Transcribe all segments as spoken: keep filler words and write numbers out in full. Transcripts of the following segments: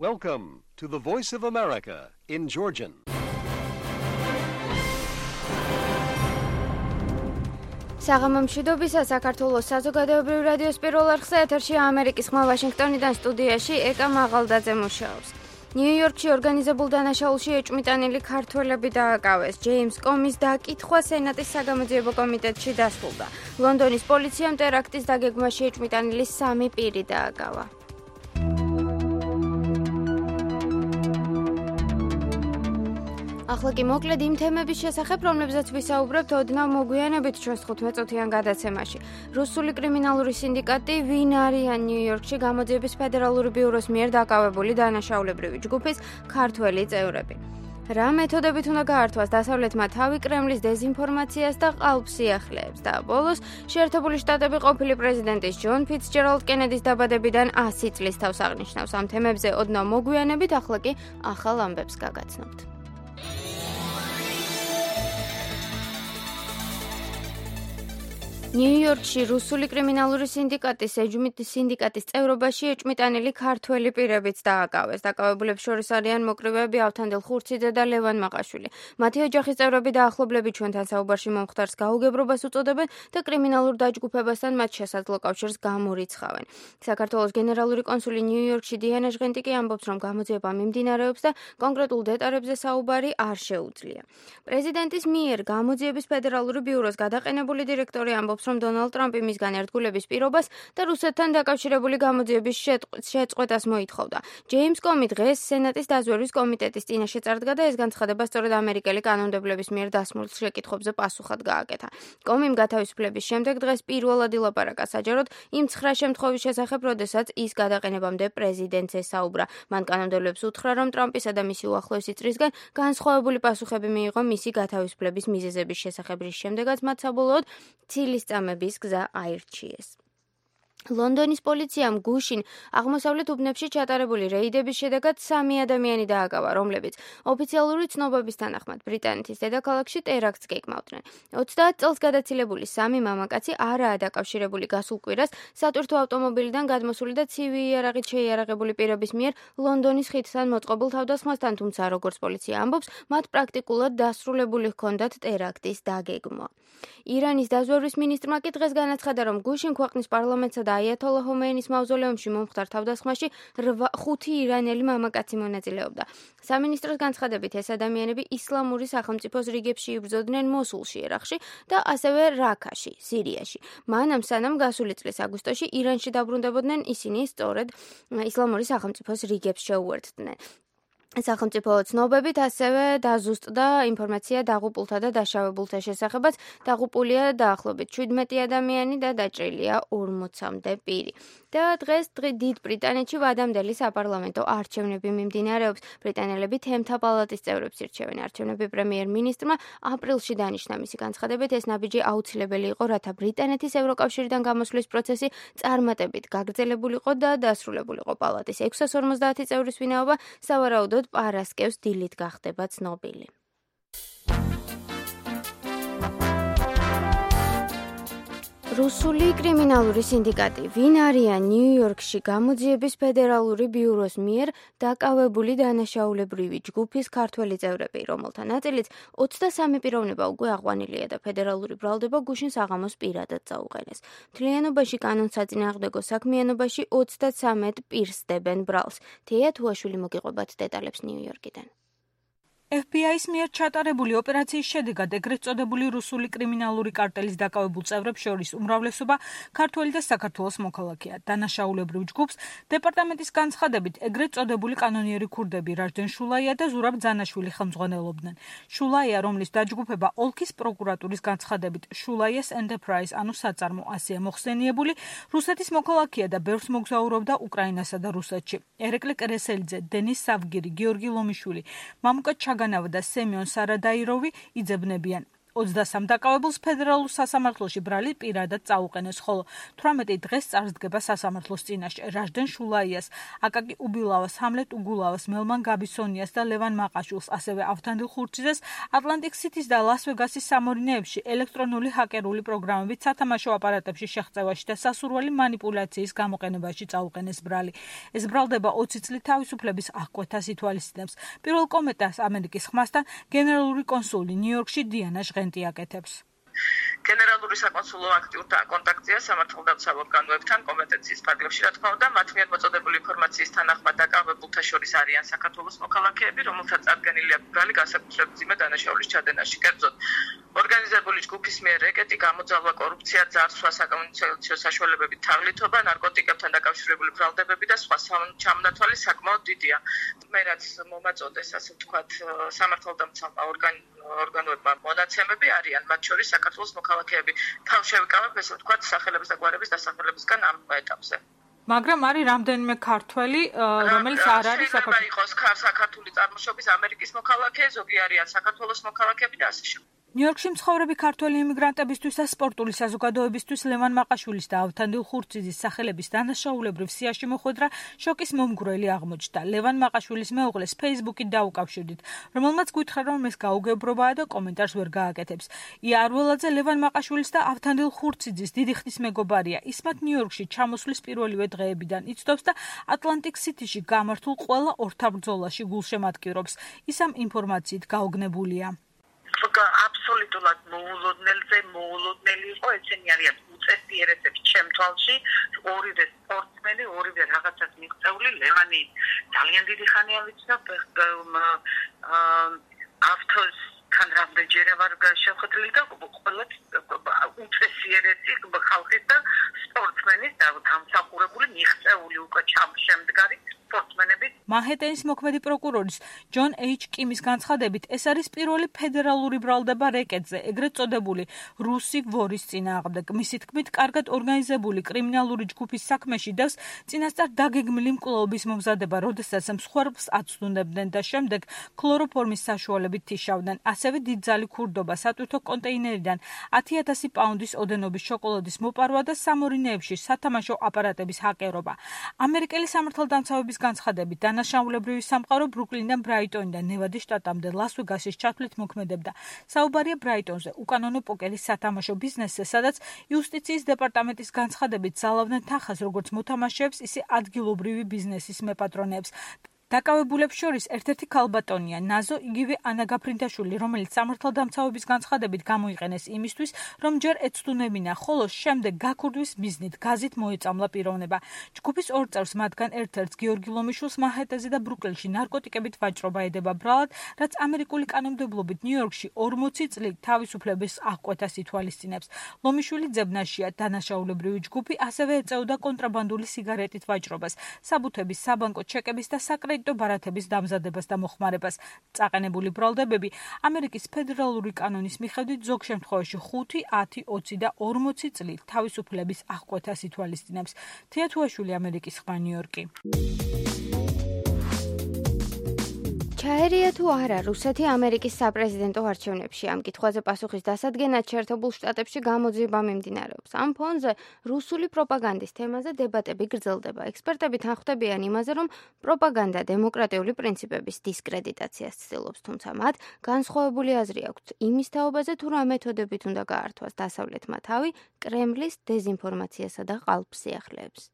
Welcome to the Voice of America in Georgian. საღამომშვიდობისა საქართველოს საზოგადოებრივ რადიოს პირველ არხზე ეთერში ამერიკის ხმა ვაშინგტონიდან სტუდიაში ეკა მაღალდაძე მუშაობს. ნიუ-იორკში ორგანიზებულ დანაშაულში ეჭვმიტანილი ქართველები დააკავეს. ჯეიმს კომის დაკითხვა სენატის საგამოძიებო კომიტეტში დასრულდა. ლონდონის პოლიციამ ტერაქტის დაგეგმვაში ეჭვმიტანილი სამი პირი დააკავა. ახლა კი მოკლედ იმ თემების შესახებ, რომლებზეც ვისაუბრებთ ოდნავ მოგვიანებით ჩვენს თხუთმეტ-წუთიან გადაცემაში. რუსული კრიმინალური სინდიკატი ვინ არიან ნიუ-იორკში გამოძიების ფედერალური ბიუროს მიერ დაკავებული დანაშაულებრივი ჯგუფის ქართველი წევრები. რა მეთოდებით უნდა გაართვას დასავლეთმა თავი კრემლის დეზინფორმაციას და ყალბსიახლეებს და ბოლოს შეერთებული შტატები ყოფილი პრეზიდენტის ჯონ ფიცჯერალდ კენედის დაბადებიდან ასი წლის თავს აღნიშნავს. ამ თემებზე ოდნავ მოგვიანებით, ახლა კი ახალ ამბებს გაგაცნობთ. ნიუ-იორკში რუსული კრიმინალური სინდიკატის ეჯმიტის სინდიკატის წევრობაში ეჭვმიტანილი ქართველი პირებიც დააკავეს. დაკავებულებს შორის არიან მოკრივეები ავთანდილ ხურციძე და ლევან მაყაშვილი. მათი ოჯახის წევრები და ახლობლები ჩვენთან საუბარში მომხდარს გაუგებრობას უწოდებენ და კრიმინალურ დაჯგუფებასთან მათ შესაძლო კავშირს გამორიცხავენ. საქართველოს გენერალური კონსული ნიუ-იორკში დიანა ჟღენტიკი ამბობს, რომ გამოძიება მიმდინარეობს და კონკრეტულ დეტალებზე საუბარი არ შეუძლია. პრეზიდენტის მიერ გამოძიების ფედერალური ბიუროს გადაყენებული დირექტორი ამბობს, რომ დონალდ ტრამპი მისგან ერთგულების პირობას და რუსეთთან დაკავშირებული გამოძიების შეწყვეტას მოითხოვდა. ჯეიმს კომი დღეს სენატის დაზვერვის კომიტეტის წინაშე წარდგა და ეს განცხადება სწორედ ამერიკელი კანონმდებლების მიერ დასმულ შეკითხვებზე პასუხად გააკეთა. კომიმ გათავისუფლების შემდეგ დღეს პირველად ილაპარაკა საჯაროდ იმ ცხრა შემთხვევის შესახებ, როდესაც ის გადაყენებამდე პრეზიდენტს ესაუბრა. მან კანონმდებლებს უთხრა, რომ ტრამპისა და მისი უახლოესი წრისგან განსხვავებული პასუხები მიიღო მისი გათავისუფლების მიზეზების შესახებ, რის შემდეგაც მათ საბოლოოდ ცილის წამების გზა აირჩიეს. ლონდონის პოლიციამ გუშინ აღმოსავლეთ უბნებში ჩატარებული რეიდების შედეგად სამი ადამიანი დააკავა, რომლებიც ოფიციალური ცნობების თანახმად ბრიტანეთის დედაქალაქში ტერაქტს გეგმავდნენ. ოცდაათ წელს გადაცილებული სამი მამაკაცი არაა დაკავშირებული გასულ კვირას სატვირთო ავტომობილიდან გადმოსული და ცივი იარაღით შეიარაღებული პირების მიერ ლონდონის ხიდთან მოწყობილ თავდასხმასთან, თუმცა როგორც პოლიცია ამბობს, მათ პრაქტიკულად დასრულებული ჰქონდათ ტერაქტის დაგეგმვა. ირანის დაზვერვის მინისტრმა კი დღეს განაცხადა, რომ გუშინ ქვეყნის პარლამენტსა და აიათოლა ხომეინის მავზოლეუმში მომხდარ თავდასხმაში ხუთი ირანელი მამაკაცი მონაწილეობდა. სამინისტროს განცხადებით ეს ადამიანები ისლამური სახელმწიფოს რიგებში იბრძოდნენ მოსულში, ერაყში და ასევე რაქაში, სირიაში. მანამ სანამ გასული წლის აგვისტოში ირანში დაბრუნდებოდნენ, ისინი სწორედ ისლამური სახელმწიფოს რიგებს შეუერთდნენ. სახელმწიფო ცნობებით ასევე დაზუსტდა ინფორმაცია დაღუპულთა და დაშავებულთა შესახებაც. დაღუპულია დაახლოებით შვიდმეტი ადამიანი და დაჭრილია ორმოცამდე პირი. და დღეს დიდ ბრიტანეთში ვადამდელი საპარლამენტო არჩევნები მიმდინარეობს. ბრიტანელები თემთა პალატის წევრებს ირჩევენ. არჩევნები პრემიერ-მინისტრმა აპრილში დანიშნა. მისი განცხადებით ეს ნაბიჯი აუცილებელი იყო, რათა ბრიტანეთის ევროკავშირიდან გამოსვლის პროცესი წარმატებით გაგრძელებულიყო და დასრულებულიყო. პალატის ექვსას ორმოცდაათი წევრის ვინაობა სავარაუდოდ პარასკევს დილით გახდება ცნობილი. რუსული კრიმინალური სინდიკატი ვინ არიან ნიუ-იორკში გამოძიების ფედერალური ბიუროს მიერ დაკავებული დანაშაულებრივი ჯგუფის ქართველი წევრები, რომელთა ნაწილიც ოცდასამი პიროვნება უკვე აყვანილია და ფედერალური ბრალდება გუშინ საღამოს პირადად წაუყენეს. მთლიანობაში კანონსაწინააღმდეგო საქმიანობაში ოცდათვრამეტ პირს დებენ ბრალს. თეა თუაშვილი მოგიყვებათ დეტალებს ნიუ-იორკიდან. ეფ ბი აის მიერ ჩატარებული ოპერაციის შედეგად ეგრეთ წოდებული რუსული კრიმინალური კარტელის დაკავებულ წევრებს შორის უმრავლესობა ქართველი და საქართველოს მოქალაქეა. დანაშაულებრივ ჯგუფს დეპარტამენტის განცხადებით ეგრეთ წოდებული კანონიერი ქურდები რაჟდენ შულაია და ზურაბ ძანაშვილი ხელმძღვანელობდნენ. შულაია, რომლის დაჯგუფება ოლქის პროკურატურის განცხადებით შულაიას ენტერპრაიზ, ანუ საწარმო ასეა მოხსენიებული, რუსეთის მოქალაქეა და ბევრს მოგზაურობდა უკრაინასა და რუსეთში. ერეკლე კრესელიძე, დენის სავგირი, გიორგი ლომიშვილი, მამუკა ჩაგანავა და სემიონ სარადაიროვი იძებნებიან. ოცდასამ დაკავებულს ფედერალურ სასამართლოში ბრალი პირადად წაუყენეს, ხოლო თვრამეტი დღეს წარსდგება სასამართლოს წინაშე. რაჟდენ შულაიას, აკაკი უბილავას, ჰამლეტ უგულავას, მელმან გაბისონიას და ლევან მაყაშვილს, ასევე ავთანდილ ხურციძეს ატლანტიკ სიტის და ლას-ვეგასის სამორინეებში ელექტრონული ჰაკერული პროგრამებით სათამაშო აპარატებში შეღწევაში და სასურველი манипуляციის გამოყენებაში წაუყენეს ბრალი. ეს ბრალდება ოცი წლით თავისუფლების აღკვეთას ითვალისწინებს. პირველ კომენტარს ამერიკის ხმასთან გენერალური კონსული ნიუ-იორკში დიანა ჟღენტი აკეთებს. გენერალური საკონსულო აქტიურ კონტაქტია სამართალდამცავ ორგანოებთან კომპეტენციის ფარგლებში, რა თქმა უნდა, მათ მიერ მოწოდებული ინფორმაციის თანახმად დაკავებულთა შორის არიან საქართველოს მოქალაქეები, რომელთაც წარდგენილი აქვს ბრალი განსაკუთრებით მძიმე დანაშაულის ჩადენაში. კერძოდ, ორგანიზებული ჯგუფის მიერ რეკეტი, გამოძალვა, კორუფცია, ძარცვა, საკომუნიკაციო საშუალებებით თაღლითობა, ნარკოტიკებთან დაკავშირებული ბრალდებები და სხვა ჩამონათვალი საკმაოდ დიდია. მე რაც მომაწოდეს, ასე ვთქვათ, სამართალდამცავმა ორგანოებმა მონაცემები არიან, მათ შორის საქართველოს მოქალაქეები. თავ შევიკავებ, ესე ვთქვათ, სახელების და გვარების დასახელებისგან ამ ეტაპზე. მაგრამ არის რამდენიმე ქართველი, რომელიც არ არის საქართველოს იყოს საქართველოს წარმოშობის ამერიკის მოქალაქე, ზოგი არიან საქართველოს მოქალაქეები და ასე შემდეგ. ნიუ-იორკში მცხოვრები ქართველი იმიგრანტებისთვის და სპორტული საზოგადოებისთვის ლევან მაყაშვილის და ავთანდილ ხურციძის სახელების დანაშაულებრივ სიაში მოხვედრა შოკის მომგვრელი აღმოჩნდა. ლევან მაყაშვილის მეუღლეს Facebook-ით დაუკავშირდით, რომელმაც გითხრა, რომ ეს გაუგებრობაა და კომენტარს ვერ გააკეთებს. ია არველაძე ლევან მაყაშვილის და ავთანდილ ხურციძის დიდი ხნის მეგობარია. ის მათ ნიუ-იორკში ჩამოსვლის პირველივე დღეებიდან იცდობს და ატლანტიკ სიტიში გამართულ ყველა ორთაბრძოლაში გულშემატკივრობს. ის ამ ინფორმაციით გაოგნებულია. აბსოლუტურად მოულოდნელზე მოულოდნელი იყო, ეცენი არიან უწესიერესებს ჩემ თვალში, ორივე სპორტსმენი, ორივე რაღაცას მიღწეული. ლევანი ძალიან დიდი ხანია ვიცნობ, ავთოსთან რამდენჯერე ვარ შეხვედრილი და ყველა უწესიერესი ხალხის და სპორტსმენის და დამსახურებული მიღწეული უკვე შემდგარი სპორტსმენებით. მანჰეტენის მოქმედი პროკურორის ჯონ ეიჩ კიმის განცხადებით, ეს არის პირველი ფედერალური ბრალდება რეკეტზე, ეგრეთ წოდებული რუსი ვორის წინააღმდეგ. მისი თქმით, კარგად ორგანიზებული კრიმინალური ჯგუფის საქმეში დევს წინასწარ დაგეგმილი მკვლელობის მომზადება, როდესაც მსხვერპლს აცდუნებდნენ და შემდეგ ქლოროფორმის საშუალებით თიშავდნენ. ასევე დიდძალი ქურდობა, სატვირთო კონტეინერიდან ათი ათასი პაუნდის ოდენობის შოკოლადის მოპარვა და სამორინეებში სათამაშო აპარატების ჰაკერობა. ამერიკელი სამართალდამცავების განცხადებით, დანაშაულებრივი სამყარო ბრუკლინიდან ბრაიტონიდან ნევადის შტატამდე ლას-ვეგასის ჩათვლით მოქმედებდა. საუბარია ბრაიტონზე, უკანონო პოკერის სათამაშო ბიზნესზე, სადაც იუსტიციის დეპარტამენტის განცხადებით ზალავდნენ თანხას როგორც მოთამაშეებს, ისე ადგილობრივი ბიზნესის მეპატრონეებს. დაკავებულებს შორის ერთ-ერთი ქალბატონია ნაზო, იგივე ანა გაფრინდაშვილი, რომელიც სამართალდამცავების განცხადებით გამოიყენეს იმისთვის, რომ ჯერ ეცდუნებინა, ხოლო შემდეგ გაქურდვის მიზნით გაზით მოეწამლა პიროვნება. ჯგუფის ორ წევრს, მათგან ერთ-ერთს გიორგი ლომიშვილს მანჰეტენზე და ბრუკლინში ნარკოტიკებით ვაჭრობა ედება ბრალად, რაც ამერიკული კანონმდებლობით ნიუ-იორკში ორმოცი წლით თავისუფლების აღკვეთას ითვალისწინებს. ლომიშვილი ძებნაშია, დანაშაულებრივი ჯგუფი ასევე ეწეოდა კონტრაბანდული სიგარეტით ვაჭრობას, საბუთების, საბანკო ჩეკების და საკრედიტო ბარათების დამზადებას და მოხმარებას. წაყენებული ბრალდებები ამერიკის ფედერალური კანონის მიხედვით ზოგ შემთხვევაში ხუთი, ათი, ოცი და ორმოცი წლით თავისუფლების აღკვეთას ითვალისწინებს. თია თუაშვილი, ამერიკის ხმა, ნიუ-იორკი. ჩაერია თუ არა რუსეთი ამერიკის საპრეზიდენტო არჩევნებში? ამ კითხვაზე პასუხის დასადგენად შეერთებულ შტატებში გამოძიება მიმდინარეობს. ამ ფონზე რუსული პროპაგანდის თემაზე დებატები გრძელდება. ექსპერტები თანხმდებიან იმაზე, რომ პროპაგანდა დემოკრატიული პრინციპების დისკრედიტაციას ცდილობს, თუმცა მათ განსხვავებული აზრი აქვთ იმის თაობაზე, თუ რა მეთოდებით უნდა გაართვას დასავლეთმა თავი კრემლის დეზინფორმაციასა და ყალბსიახლეებს.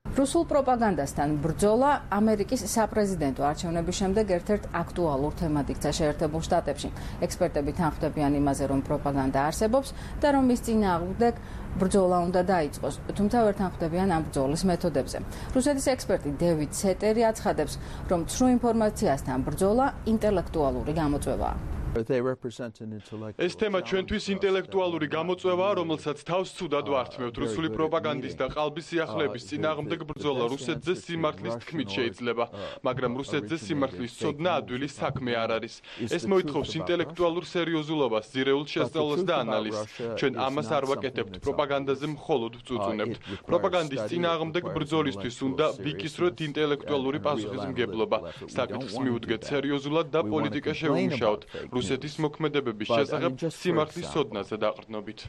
რუსულ პროპაგანდასთან ბრძოლა ამერიკის საპრეზიდენტო არჩევნების შემდეგ ერთ-ერთ აქტუალურ თემად იქცა შეერთებულ შტატებში. ექსპერტები თანხმდებიან იმაზე, რომ პროპაგანდა არსებობს და რომ მის წინააღმდეგ ბრძოლა უნდა დაიწყოს, თუმცა ვერ თანხმდებიან ამ ბრძოლის მეთოდებზე. რუსეთის ექსპერტი დევიდ სეტერი აცხადებს, რომ ცრუ ინფორმაციასთან ბრძოლა ინტელექტუალური გამოწვევაა. ეს თემა ჩვენთვის ინტელექტუალური გამოწვევაა, რომელსაც თავს ცუდად ვართმევთ. რუსული პროპაგანდის და ყალბის სიახლეების წინააღმდეგ ბრძოლა რუსეთზე სიმართლის თქმით შეიძლება, მაგრამ რუსეთზე სიმართლის ცოდნა ადვილი საქმე არ არის. ეს მოითხოვს ინტელექტუალურ სერიოზულობას, ძირეულ შესწავლას და ანალიზს. ჩვენ ამას არ ვაკეთებთ, პროპაგანდაზე მხოლოდ ვწუწუნებთ. პროპაგანდის წინააღმდეგ ბრძოლისთვის უნდა ვიკისროთ ინტელექტუალური პასუხისმგებლობა. საკითხს მივუდგეთ სერიოზულად და პოლიტიკა შევუმუშაოთ. რუსეთის მოქმედებების შესახებ სიმართლის სოდნაზე დაყრდნობით.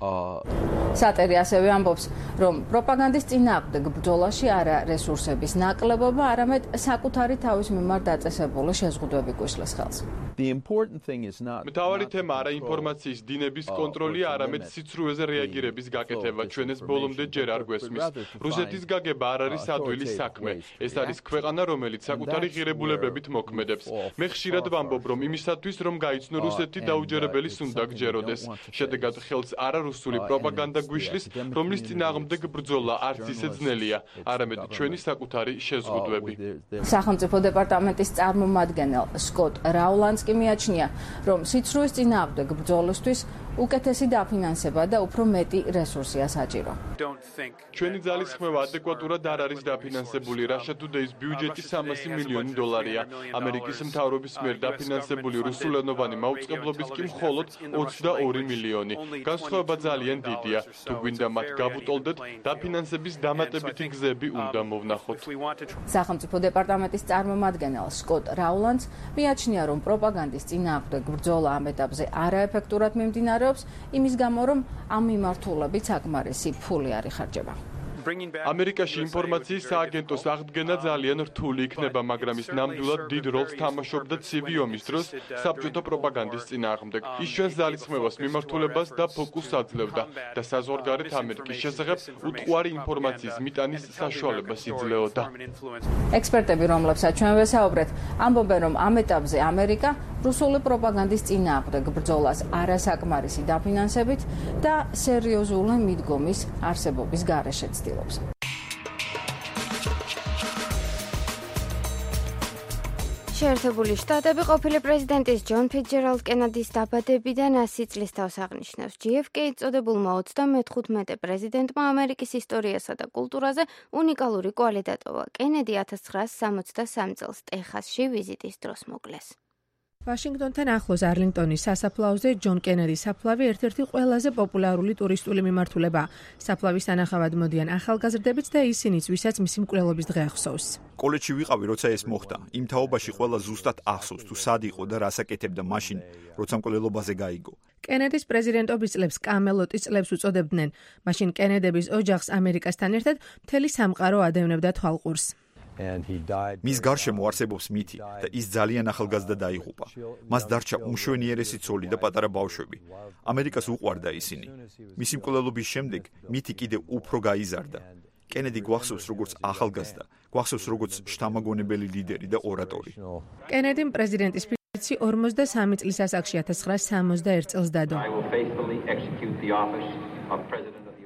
სატერი ასევე ამბობს, რომ პროპაგანდის წინააღმდეგ ბრძოლაში არა რესურსების ნაკლებობა, არამედ საკუთარი თავის მიმართ დაწესებული შეზღუდვები გვისლის ხელს. მთავარი თემა არა ინფორმაციის დინების კონტროლი, არამედ სიცრუეზე რეაგირების გაკეთება. ჩვენ ეს ბოლომდე ჯერ არ გვესმის. რუსეთის გაგება არ არის ადვილი საქმე. ეს არის ქვეყანა, რომელიც საკუთარი ღირებულებებით მოქმედებს. მე ხშირად ვამბობ, რომ იმისათვის, რომ გაიცნო რუსეთი, დაუჯერებელის უნდა გჯეროდეს. შედეგად ხელს არა რუსული პროპაგანდა გვიშლის, რომლის წინააღმდეგ ბრძოლა არც ისე ძნელია, არამედ ჩვენი საკუთარი შეზღუდვები. სახელმწიფო დეპარტამენტის წარმომადგენელ სკოტ რაულანდს კი მიაჩნია, რომ სიცრუეს წინააღმდეგ ბრძოლისთვის უკეთესი დაფინანსება და უფრო მეტი რესურსია საჭირო. ჩვენი ძალისხმევა ადეკვატურად არ არის დაფინანსებული. Russia Today's ბიუჯეტი სამასი მილიონი დოლარია. ამერიკის მთავრობის მიერ დაფინანსებული რუსულენოვანი მაუწყებლობის კი მხოლოდ ოცდაორი მილიონი. განსხვავება ძალიან დიდია. თუ გვინდა მათ გავუტოლდეთ, დაფინანსების დამატებითი გზები უნდა მოვნახოთ. სახელმწიფო დეპარტამენტის წარმომადგენელ სკოტ რაულანდს მიაჩნია, რომ პროპაგანდის წინააღმდეგ ბრძოლა ამ ეტაპზე არაეფექტურად მიმდინარეობს, იმის გამო, რომ ამ მიმართულებით საკმარისი ფული არ იხარჯება. ამერიკაში ინფორმაციის სააგენტოს აღდგენა ძალიან რთული იქნება, მაგრამ ის ნამდვილად დიდ როლს თამაშობდა ცივი ომის დროს საბჭოთა პროპაგანდის წინააღმდეგ. ის ჩვენს ძალისხმევას მიმართულებას და ფოკუსს აძლევდა და საზღვარგარეთ ამერიკის შესახებ უტყუარი ინფორმაციის მიტანის საშუალებას იძლეოდა. ექსპერტები, რომლებსაც ჩვენ ვესაუბრეთ, ამბობენ, რომ ამ ეტაპზე ამერიკა რუსული პროპაგანდის წინააღმდეგ ბრძოლას არასაკმარისი დაფინანსებით და სერიოზული მიდგომის არსებობის გარეშე ცდილობს. შეერთებული შტატები ყოფილი პრეზიდენტის ჯონ ფიცჯერალდ კენედის დაბადებიდან ასი წლის თავს აღნიშნავს. ჯი ეფ კეი წოდებულმა ოცდამეთერთმეტე პრეზიდენტმა ამერიკის ისტორიასა და კულტურაზე უნიკალური კვალი დატოვა. კენედი ათას ცხრაასი სამოცდასამი წელს ტეხასში ვიზიტის დროს მოკლეს. ვაშინგტონთან ახლოს არლინგტონის სასაფლაოზე ჯონ კენედის საფლავი ერთ-ერთი ყველაზე პოპულარული ტურისტული მიმართულებაა. საფლავის თანახავად მოდიან ახალგაზრდებიც და ისინიც, ვისაც მისი მკვლელობის დღე ახსოვს. კოლეჯში ვიყავი, როცა ეს მოხდა. იმ თაობაში ყველა ზუსტად ახსოვს, თუ სად იყო და რას აკეთებდა მაშინ, როცა მკვლელობაზე გაიგო. კენედის პრეზიდენტობის წლებს კამელოტის წლებს უწოდებდნენ. მაშინ კენედების ოჯახს ამერიკასთან ერთად მთელი სამყარო ადევნებდა თვალყურს. მის გარშემო არსებობს მითი და ის ძალიან ახალგაზრდა დაიღუპა. მას დარჩა უმშვენიერესი ცოლი და პატარა ბავშვები. ამერიკას უყვარდა ისინი. მისი მკვლელობის შემდეგ მითი კიდევ უფრო გაიზარდა. კენედი გვახსოვს როგორც ახალგაზრდა, გვახსოვს როგორც შთამაგონებელი ლიდერი და ორატორი. კენედიმ პრეზიდენტის ფიცი ორმოცდასამი წლის ასაკში ათას ცხრაასი სამოცდაერთი წელს დადო.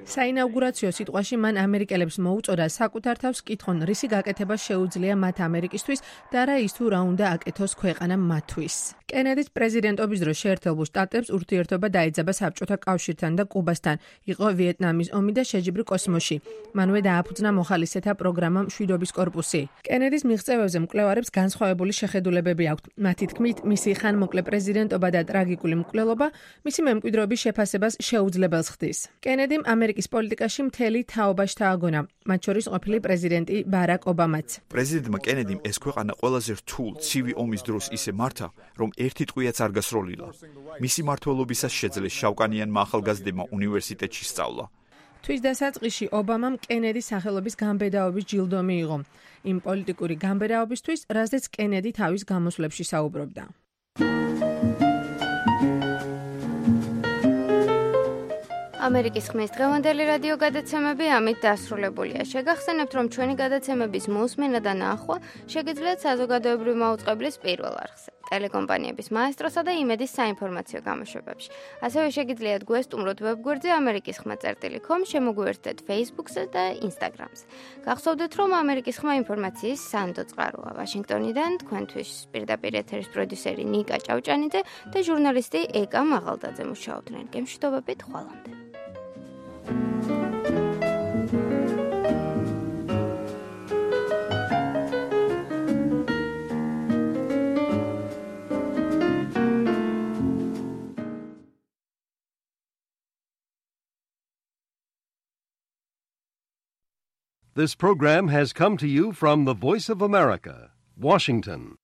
საინაუგურაციო სიტყვაში მან ამერიკელებს მოუწოდა საკუთარ თავს კითხონ, რისი გაკეთება შეუძლია მათ ამერიკისთვის და რა ის თუ რა უნდა აკეთოს ქვეყანა მათთვის. კენედის პრეზიდენტობის დროს შეერთებულ შტატებს ურთიერთობა დაეძაბა საბჭოთა კავშირთან და კუბასთან. იყო ვიეტნამის ომი და შეჯიბრი კოსმოსში. მანვე დააფუძნა მოხალისეთა პროგრამა მშვიდობის კორპუსი. კენედის მიღწევებზე მკვლევარებს განსხვავებული შეხედულებები აქვთ. მათი თქმით, მისი ხანმოკლე პრეზიდენტობა და ტრაგიკული მკვლელობა მისი მემკვიდრეობის შეფასებას შეუძლებელს ხდის. კენედიმ ამერიკის პოლიტიკაში მთელი თაობა შთააგონა, მათ შორის ყოფილი პრეზიდენტი ბარაკ ობამაც. პრეზიდენტმა კენედიმ ეს ქვეყანა ყველაზე რთულ ცივი ომის დროს ისე მართა, რომ ერთი ტყვიაც არ გასროლილა. მისი მმართველობისას შეძლეს შავკანიანმა ახალგაზრდებმა უნივერსიტეტში სწავლა. თვის დასაწყისში ობამამ კენედის სახელობის გამბედაობის ჯილდო მიიღო. იმ პოლიტიკური გამბედაობისთვის, რაზეც კენედი თავის გამოსვლებში საუბრობდა. ამერიკის ხმის დღევანდელი რადიო გადაცემები ამით დასრულებულია. შეგახსენებთ, რომ ჩვენი გადაცემების მოსმენა და ნახვა შეგიძლიათ საზოგადოებრივი მაუწყებლის პირველ არხზე, ტელეკომპანიების მაესტროსა და იმედის საინფორმაციო გამოშვებებში. ასევე შეგიძლიათ გვესტუმროთ ვებგვერდზე ამერიკის ხმა წერტილი კომ, შემოგვიერთდეთ Facebook-ზე და Instagram-ზე. გახსოვდეთ, რომ ამერიკის ხმა ინფორმაციის სანდო წყაროა. ვაშინგტონიდან თქვენთვის პირდაპირ ეთერის პროდიუსერი ნიკა ჭავჭანიძე და ჟურნალისტი ეკა მაღალდაძე მუშაობდნენ. გემშვიდობებით, ხვალამდე. This program has come to you from the Voice of America, Washington.